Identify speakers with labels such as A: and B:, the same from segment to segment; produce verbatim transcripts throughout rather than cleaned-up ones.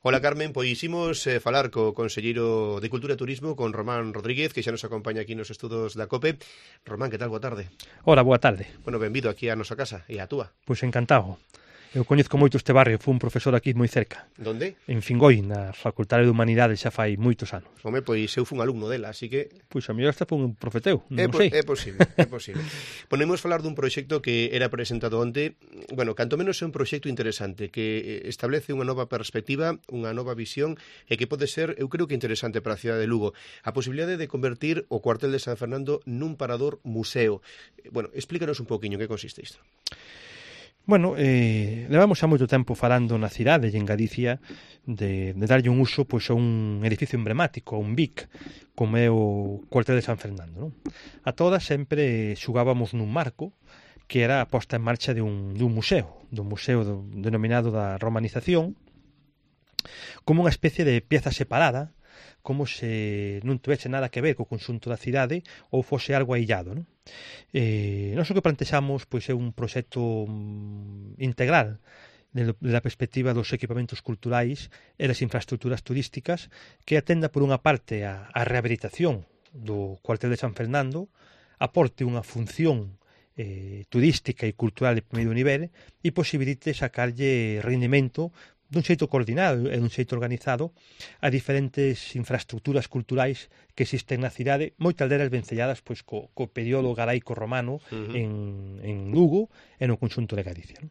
A: Ola, Carmen, pois imos eh, falar co conselleiro de Cultura e Turismo, con Román Rodríguez, que xa nos acompaña aquí nos estudos da COPE. Román, que tal? Boa tarde.
B: Ora, boa tarde.
A: Bueno, benvido aquí a nosa casa e a túa.
B: Pois encantado. Eu coñezco moito este barrio, fui un profesor aquí moi cerca.
A: Donde?
B: En Fingoi, na Facultade de Humanidades, xa fai moitos anos.
A: Home, pois eu fun alumno dela, así que...
B: Pois a mellor hasta fun un profeteu, non
A: é,
B: sei.
A: É posible, é posible. Ponemos falar dun proxecto que era presentado onte, bueno, canto menos é un proxecto interesante, que establece unha nova perspectiva, unha nova visión, e que pode ser, eu creo que interesante para a cidade de Lugo, a posibilidade de convertir o cuartel de San Fernando nun parador museo. Bueno, explícanos un poquinho que consiste isto.
B: Bueno, eh, levamos xa moito tempo falando na cidade e en Galicia de, de darlle un uso pois, a un edificio emblemático, a un B I C, como é o cuartel de San Fernando. Non? A todas sempre xugábamos nun marco que era a posta en marcha de un, de un museo, dun museo do, denominado da romanización, como unha especie de pieza separada, como se non tivese nada que ver co conxunto da cidade ou fose algo aillado. Non? Eh, nós o que plantexamos pois, é un proxecto integral da perspectiva dos equipamentos culturais e das infraestructuras turísticas que atenda por unha parte a, a rehabilitación do cuartel de San Fernando, aporte unha función eh, turística e cultural de primeiro nivel e posibilite sacarlle rendimento dun xeito coordinado e dun xeito organizado a diferentes infraestructuras culturais que existen na cidade, moitas delas vencelladas pois, co, co período galaico romano uh-huh. en, en Lugo e no conxunto de Galicia.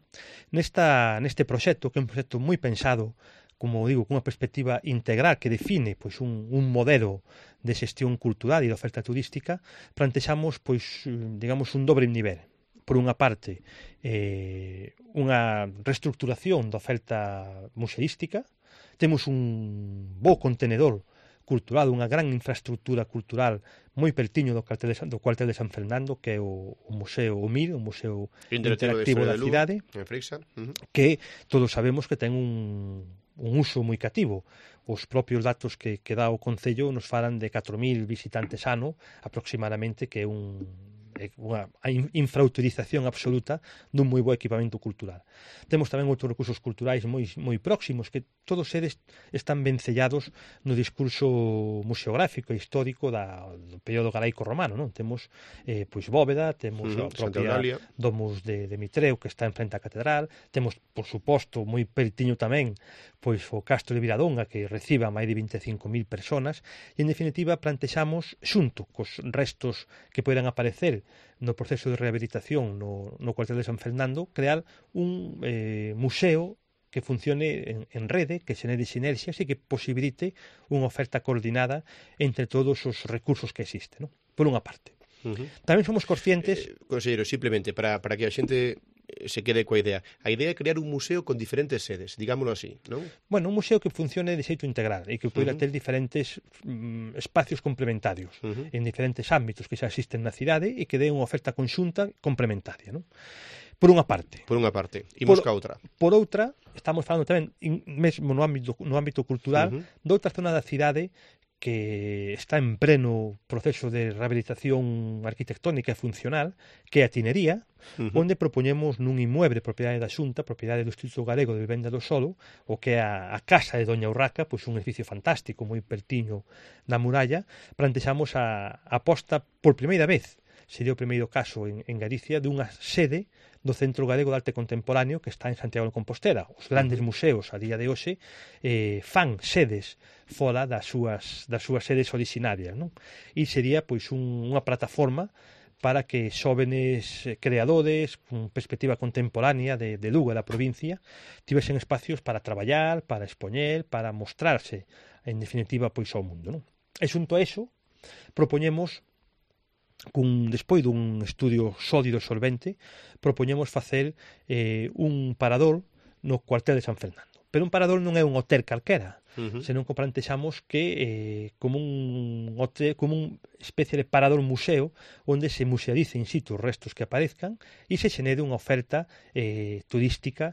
B: Nesta, neste proxecto, que é un proxecto moi pensado, como digo, cunha perspectiva integral que define pois, un, un modelo de xestión cultural e de oferta turística, plantexamos pois, digamos, un dobre nivel. Por unha parte, eh, unha reestructuración da oferta museística, temos un bo contenedor cultural, unha gran infraestructura cultural moi pertiño do cuartel de San, do cuartel de San Fernando, que é o, o Museo O M I R, o Museo Interactivo da Cidade, uh-huh. que todos sabemos que ten un, un uso moi cativo. Os propios datos que, que dá o Concello nos falan de catro mil visitantes ano, aproximadamente, que é un unha infrautilización absoluta dun moi bo equipamento cultural. Temos tamén outros recursos culturais moi, moi próximos que todos eles están vencellados no discurso museográfico e histórico da, do período galaico romano. Non? Temos eh, pois Bóveda, temos uh-huh, a propia Domus de, de Mitreu que está en frente á catedral, temos, por suposto, moi pertiño tamén pois o Castro de Viradonga que reciba máis de vinte e cinco mil personas e, en definitiva, plantexamos, xunto cos restos que poderán aparecer no proceso de rehabilitación no, no cuartel de San Fernando, crear un eh, museo que funcione en, en rede, que xenere sinerxias e que posibilite unha oferta coordinada entre todos os recursos que existen, ¿no? Por unha parte. Uh-huh. Tamén somos conscientes...
A: Eh, conselleiro, simplemente, para, para que a xente se quede coa idea. A idea é crear un museo con diferentes sedes, digámoslo así, non?
B: Bueno, un museo que funcione de xeito integral e que poida uh-huh. ter diferentes mm, espacios complementarios uh-huh. en diferentes ámbitos que xa existen na cidade e que den unha oferta conxunta complementaria, non? Por unha parte.
A: Por unha parte. Imos
B: por,
A: ca outra.
B: Por outra, estamos falando tamén, in, mesmo no ámbito, no ámbito cultural, uh-huh. de outra zona da cidade que está en pleno proceso de rehabilitación arquitectónica e funcional, que é a Tinería, uh-huh. onde propoñemos nun inmueble propiedade da Xunta, propiedade do Instituto Galego de Vivenda do Solo, o que é a, a Casa de Doña Urraca, pois un edificio fantástico, moi pertiño da muralla, plantexamos a, a posta por primeira vez, sería o primeiro caso en, en Galicia, dunha sede do Centro Galego de Arte Contemporáneo que está en Santiago de Compostela. Os grandes museos a día de hoxe eh, fan sedes fora das súas, das súas sedes orixinarias, non? E sería pois un, unha plataforma para que xóvenes creadores con perspectiva contemporánea de, de Lugo e da provincia tivesen espacios para traballar, para expoñer, para mostrarse en definitiva pois ao mundo, non? E xunto a eso propoñemos cun, despois dun estudio sólido e solvente, propoñemos facer eh, un parador no cuartel de San Fernando. Pero un parador non é un hotel calquera, uh-huh. senón que plantexamos que eh, como un hotel, como unha especie de parador museo onde se musealice in situ os restos que aparezcan e se xenere unha oferta eh, turística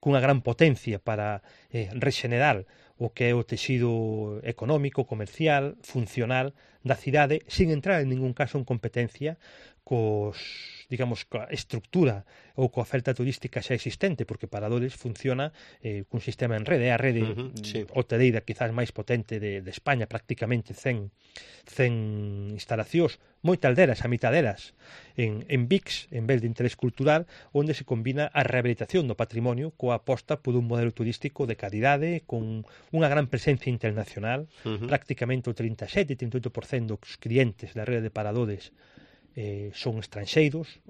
B: cunha gran potencia para eh, rexenerar o que é o texido económico, comercial, funcional da cidade, sin entrar en ningún caso en competencia cos, digamos, coa estructura ou coa oferta turística xa existente, porque Paradores funciona eh, cun sistema en rede, é a rede
A: uh -huh, sí.
B: hoteleira quizás máis potente de, de España, prácticamente cen instalacións, moitas delas, a mitad delas, en, en V I Cs, en vez de interés cultural, onde se combina a rehabilitación do patrimonio coa aposta por un modelo turístico de calidade, con unha gran presencia internacional, uh -huh. prácticamente o trinta e sete a trinta e oito por cento dos clientes da rede de Paradores eh, son estranxeiros,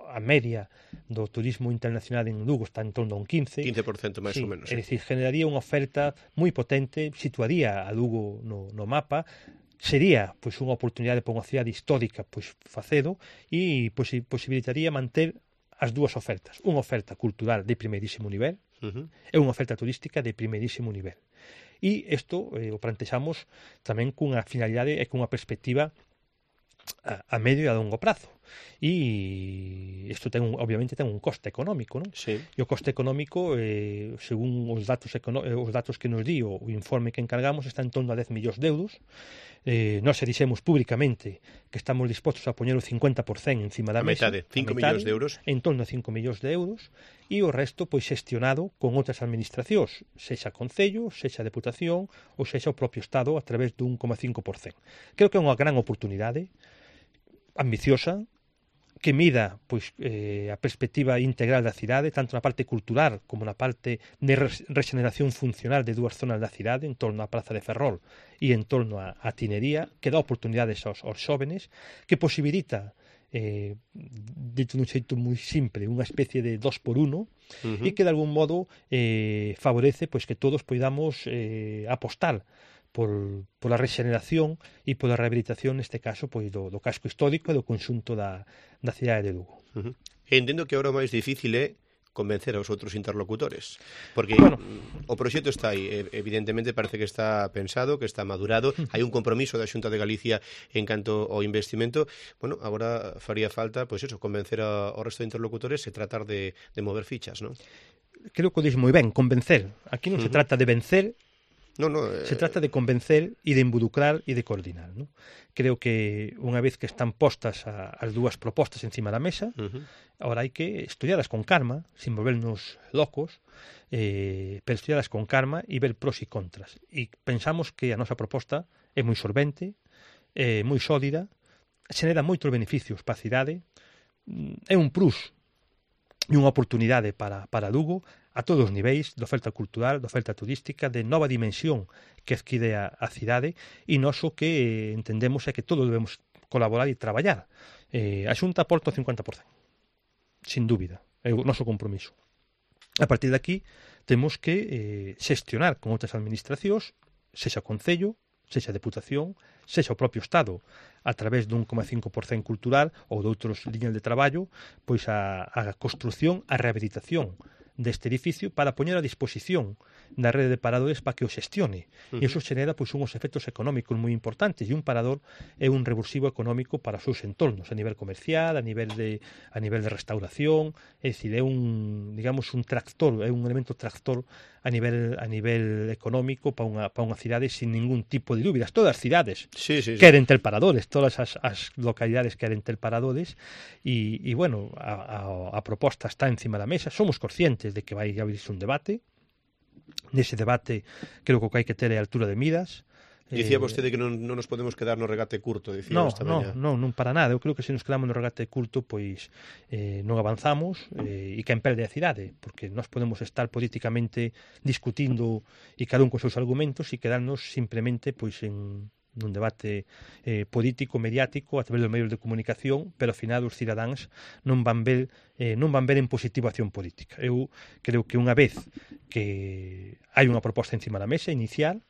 B: a media do turismo internacional en Lugo está en torno a un quince
A: por cento máis
B: sí,
A: ou menos.
B: É dicir, generaría unha oferta moi potente, situaría a Lugo no, no mapa, sería pois unha oportunidade para unha cidade histórica pois facedo e pois, posibilitaría manter as dúas ofertas, unha oferta cultural de primeirísimo nivel uh -huh. e unha oferta turística de primeirísimo nivel. E isto eh, o plantexamos tamén cunha finalidade e cunha perspectiva a, a medio e a longo prazo. E isto ten un, obviamente ten un coste económico, non?
A: Sí.
B: E o coste económico, eh, según os datos os datos que nos di o, o informe que encargamos, está en torno a dez millóns de euros. Eh, nós se dixemos públicamente que estamos dispostos a poñer o cincuenta por cento encima da
A: a
B: mesa.
A: Metade, cinco millóns de euros.
B: En torno a cinco millóns de euros. E o resto, pois, xestionado con outras administracións, sexa Concello, sexa Deputación ou sexa o propio Estado a través dun un coma cinco por cento. Creo que é unha gran oportunidade ambiciosa, que mida pois, eh, a perspectiva integral da cidade, tanto na parte cultural como na parte de regeneración funcional de dúas zonas da cidade, en torno á Praza de Ferrol e en torno á, á Tinería, que dá oportunidades aos, aos xóvenes, que posibilita, eh, dito dun xeito moi simple, unha especie de dos por uno, uh -huh. e que de algún modo eh, favorece pois, que todos poidamos eh, apostar por, por a regeneración e por a rehabilitación, neste caso, pois, do, do casco histórico e do conxunto da, da cidade de Lugo.
A: Uh -huh. Entendo que agora o máis difícil é convencer aos outros interlocutores, porque
B: bueno,
A: o proxecto está aí, evidentemente parece que está pensado, que está madurado, hai un compromiso da Xunta de Galicia en canto ao investimento. Bueno, agora faría falta, pois eso, convencer ao resto de interlocutores e tratar de, de mover fichas, non?
B: Creo que o dis moi ben, convencer. Aquí non uh -huh. se trata de vencer,
A: No, no, eh...
B: se trata de convencer e de involucrar e de coordinar, ¿no? Creo que unha vez que están postas a, as dúas propostas encima da mesa, uh -huh. ahora hai que estudialas con calma, sin volvernos locos, eh, pero estudialas con calma e ver pros e contras. E pensamos que a nosa proposta é moi solvente, é moi sólida, xenera moitos beneficios para a cidade, é un plus e unha oportunidade para, para Lugo, a todos os niveis, de oferta cultural, de oferta turística, de nova dimensión que adquire a, a cidade, e nós o que entendemos é que todos debemos colaborar e traballar. Eh, a Xunta aporta o cincuenta por cento, sin dúbida, é o noso compromiso. A partir de aquí, temos que eh, xestionar con outras administracións, sexa Concello, sexa Deputación, sexa o propio Estado, a través dun un coma cinco por cento cultural ou de outros liñas de traballo, pois a, a construción, a rehabilitación deste edificio para poñer a disposición da rede de paradores para que o xestione. Uh -huh. E iso xenera pois, unhos efectos económicos moi importantes, e un parador é un revulsivo económico para os seus entornos, a nivel comercial, a nivel de a nivel de restauración, é dicir, é un, digamos, un tractor, é un elemento tractor a nivel a nivel económico para unha para unha cidade sin ningún tipo de dúbidas. Todas as cidades
A: sí, sí, sí.
B: queren ter paradores, todas as, as localidades queren ter paradores, e, e bueno, a, a, a proposta está encima da mesa, somos conscientes de que vai abrirse un debate. Nese debate creo que o que hai que ter é a altura de miras.
A: Dicía vostede que non, non nos podemos quedar no regate curto, dicía
B: no,
A: esta
B: no,
A: mañá.
B: non, non para nada. Eu creo que se nos quedamos no regate curto, pois eh, non avanzamos, eh, e que empelde a cidade, porque nós podemos estar políticamente discutindo e cada un con seus argumentos e quedarnos simplemente pois en nun debate eh, político, mediático, a través dos medios de comunicación, pero ao final os cidadáns non van ver eh, non van ver en positivo a acción política. Eu creo que unha vez que hai unha proposta encima da mesa inicial,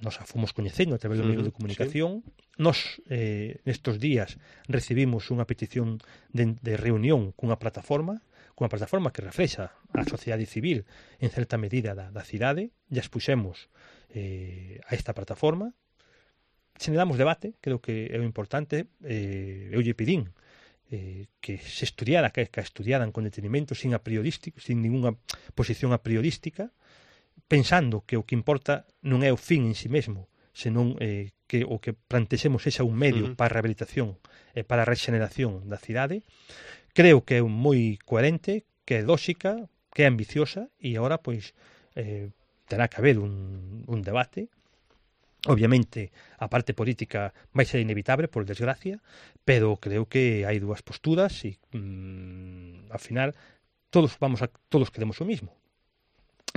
B: nos a fomos coñecendo a través dos medios de comunicación, sí. Nos eh, nestes días recibimos unha petición de, de reunión cunha plataforma, cunha plataforma que reflexa a sociedade civil en certa medida da, da cidade, ya expuxemos eh, a esta plataforma, generamos debate, creo que é o importante, eh, eu lle pedín eh, que se estudiara, que, que estudiaran con detenimento, sin a priorístico, sin ninguna posición a priorística, pensando que o que importa non é o fin en si mesmo, senón eh, que o que plantexemos sexa un medio uh -huh. para a rehabilitación eh, para a rexeneración da cidade. Creo que é moi coherente, que é lóxica, que é ambiciosa, e agora, pois, eh, terá que haber un, un debate. Obviamente, a parte política vai ser inevitable, por desgracia, pero creo que hai dúas posturas e, mmm, ao final, todos vamos a, todos queremos o mismo.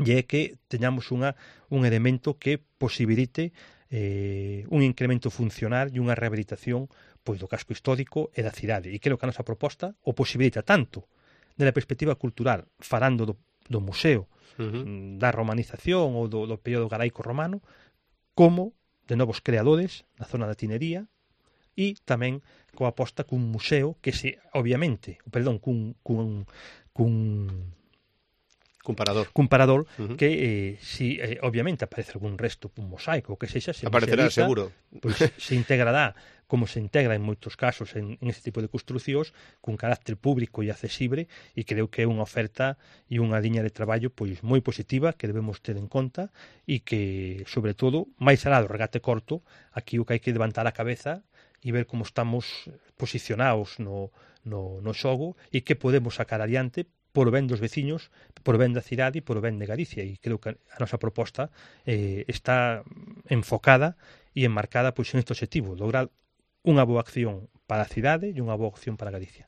B: E é que teñamos unha, un elemento que posibilite eh, un incremento funcional e unha rehabilitación pois do casco histórico e da cidade. E creo que a nosa proposta o posibilita tanto da perspectiva cultural, falando do, do museo, uh-huh. da romanización ou do, do período galaico romano, como de novos creadores na zona da tinería e tamén coa aposta cun museo que se, obviamente, perdón, cun, cun, cun
A: Comparador.
B: Comparador,
A: uh-huh.
B: que eh, si eh, obviamente aparece algún resto, un mosaico, que sexa, se
A: aparecerá seguro.
B: Pois se integrará, como se integra en moitos casos en, en este tipo de construcións, cun carácter público e accesible, e creo que é unha oferta e unha liña de traballo pois moi positiva que debemos ter en conta e que, sobre todo, máis alá do regate corto, aquí o que hai que levantar a cabeza e ver como estamos posicionados no, no, no xogo e que podemos sacar adiante por o ben dos veciños, por o ben da cidade e por o ben de Galicia. E creo que a nosa proposta eh, está enfocada e enmarcada pois, en este objetivo, lograr unha boa acción para a cidade e unha boa acción para Galicia.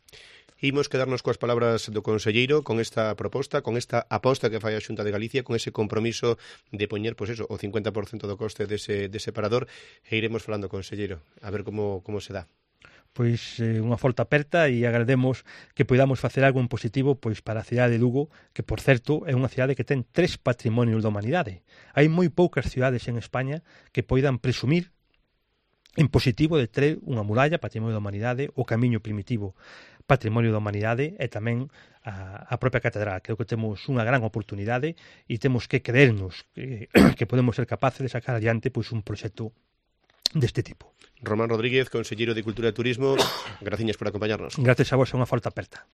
A: Imos quedarnos coas palabras do conselleiro con esta proposta, con esta aposta que fai a Xunta de Galicia, con ese compromiso de poñer, pois eso, o cincuenta por cento do coste dese, dese parador, e iremos falando, conselleiro, a ver como, como se dá.
B: Pois eh, unha folta aperta e agrademos que podamos facer algo en positivo pois para a cidade de Lugo, que por certo é unha cidade que ten tres patrimonios da humanidade. Hai moi poucas cidades en España que poidan presumir en positivo de ter unha muralla, patrimonio da humanidade, o camiño primitivo, patrimonio da humanidade e tamén a, a propia catedral. Creo que temos unha gran oportunidade e temos que creernos que, que podemos ser capaces de sacar adiante pois un proxecto deste tipo.
A: Román Rodríguez, conselleiro de Cultura e Turismo, graciñas por acompañarnos.
B: Gracias a vos, é unha folta aperta.